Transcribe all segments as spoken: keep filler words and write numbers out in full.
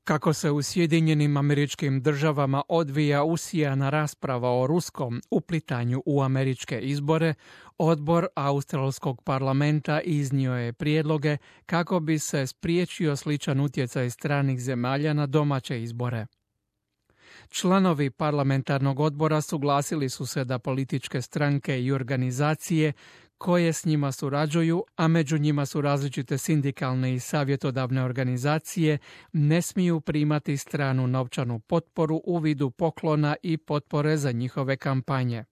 Kako se u Sjedinjenim Američkim Državama odvija usijana rasprava o ruskom uplitanju u američke izbore, odbor Australskog parlamenta iznio je prijedloge kako bi se spriječio sličan utjecaj stranih zemalja na domaće izbore. Članovi parlamentarnog odbora suglasili su se da političke stranke i organizacije koje s njima surađuju, a među njima su različite sindikalne i savjetodavne organizacije, ne smiju primati stranu novčanu potporu u vidu poklona i potpore za njihove kampanje.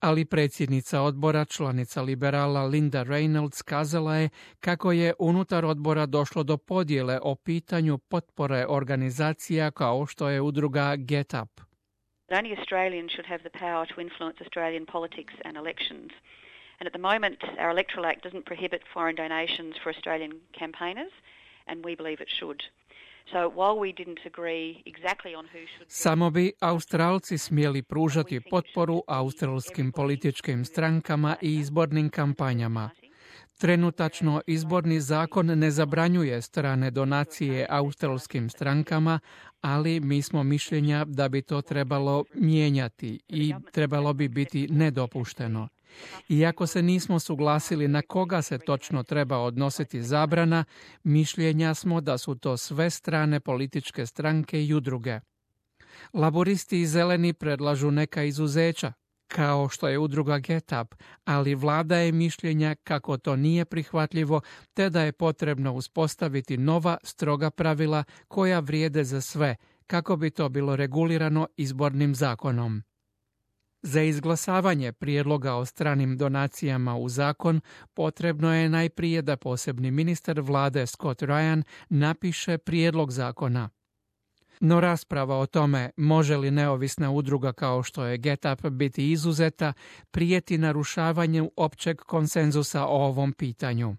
Ali predsjednica odbora, članica liberala Linda Reynolds, kazala je kako je unutar odbora došlo do podjele o pitanju potpore organizacija kao što je udruga Get Up. Only Australians should have the power to influence Australian politics and elections. And at the moment, our Electoral Act doesn't prohibit foreign donations for Australian campaigners, and we believe it should. So while we didn't agree exactly on who should... Samo bi Australci smjeli pružati potporu australskim političkim strankama i izbornim kampanjama. Trenutačno izborni zakon ne zabranjuje strane donacije australskim strankama, ali mi smo mišljenja da bi to trebalo mijenjati i trebalo bi biti nedopušteno. Iako se nismo suglasili na koga se točno treba odnositi zabrana, mišljenja smo da su to sve strane političke stranke i udruge. Laboristi i zeleni predlažu neka izuzeća, kao što je udruga Get Up, ali vlada je mišljenja kako to nije prihvatljivo, te da je potrebno uspostaviti nova, stroga pravila koja vrijede za sve, kako bi to bilo regulirano izbornim zakonom. Za izglasavanje prijedloga o stranim donacijama u zakon potrebno je najprije da posebni ministar vlade Scott Ryan napiše prijedlog zakona. No rasprava o tome može li neovisna udruga kao što je Get Up biti izuzeta prijeti narušavanju općeg konsenzusa o ovom pitanju.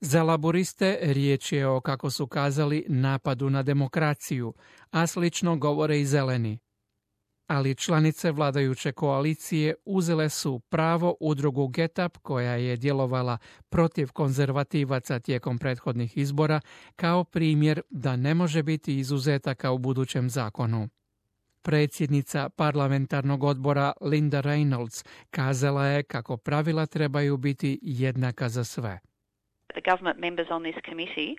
Za laboriste riječ je o, kako su kazali, napadu na demokraciju, a slično govore i zeleni. Ali članice vladajuće koalicije uzele su pravo udrugu Get Up, koja je djelovala protiv konzervativaca tijekom prethodnih izbora, kao primjer da ne može biti izuzetaka u budućem zakonu. Predsjednica parlamentarnog odbora Linda Reynolds kazala je kako pravila trebaju biti jednaka za sve. The government members on this committee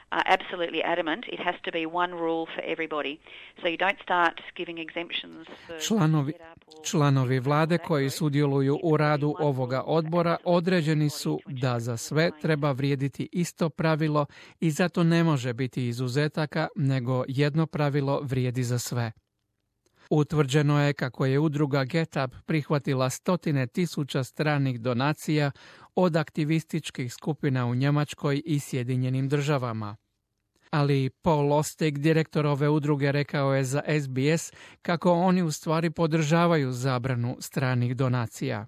are absolutely adamant it has to be one rule for everybody. So you don't start giving exemptions for... Članovi, članovi vlade koji sudjeluju u radu ovoga odbora određeni su da za sve treba vrijediti isto pravilo i zato ne može biti izuzetaka, nego jedno pravilo vrijedi za sve. Utvrđeno je kako je udruga Get Up prihvatila stotine tisuća stranih donacija od aktivističkih skupina u Njemačkoj i Sjedinjenim Državama. Ali Paul Lustig, direktor ove udruge, rekao je za S B S kako oni u stvari podržavaju zabranu stranih donacija.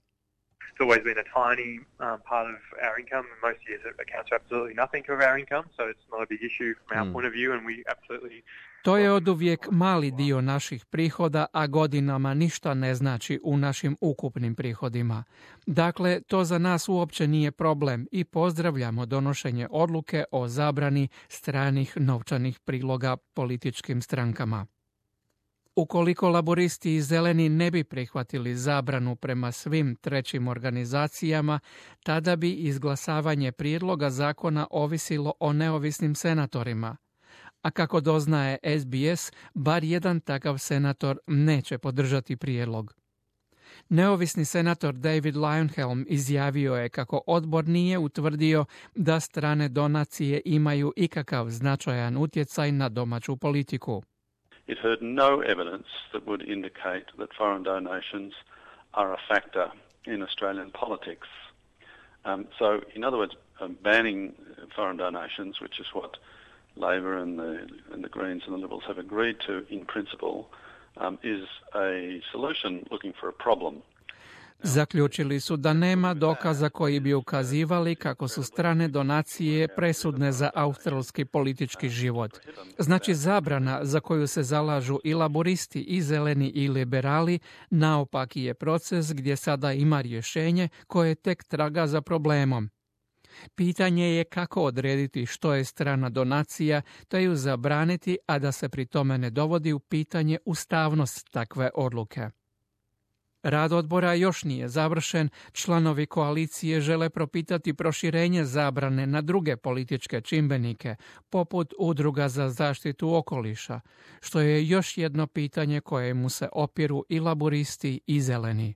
It's always been a tiny um, part of our income, and most years it accounts for absolutely nothing of our income, so it's not a big issue from our mm. point of view, and we absolutely... To je oduvijek mali dio naših prihoda, a godinama ništa ne znači u našim ukupnim prihodima. Dakle, to za nas uopće nije problem i pozdravljamo donošenje odluke o zabrani stranih novčanih priloga političkim strankama. Ukoliko laboristi i zeleni ne bi prihvatili zabranu prema svim trećim organizacijama, tada bi izglasavanje prijedloga zakona ovisilo o neovisnim senatorima. A kako doznaje S B S, bar jedan takav senator neće podržati prijedlog. Neovisni senator David Leyonhjelm izjavio je kako odbor nije utvrdio da strane donacije imaju ikakav značajan utjecaj na domaću politiku. It heard no evidence that would indicate that foreign donations are a factor in Australian politics. Um, so, in other words, um, banning foreign donations, which is what Labor and the, and the Greens and the Liberals have agreed to in principle, um, is a solution looking for a problem. Zaključili su da nema dokaza koji bi ukazivali kako su strane donacije presudne za australski politički život. Znači, zabrana za koju se zalažu i laboristi, i zeleni, i liberali naopaki je proces gdje sada ima rješenje koje tek traga za problemom. Pitanje je kako odrediti što je strana donacija, te ju zabraniti, a da se pri tome ne dovodi u pitanje ustavnost takve odluke. Rad odbora još nije završen, članovi koalicije žele propitati proširenje zabrane na druge političke čimbenike, poput udruga za zaštitu okoliša, što je još jedno pitanje kojemu se opiru i laburisti i zeleni.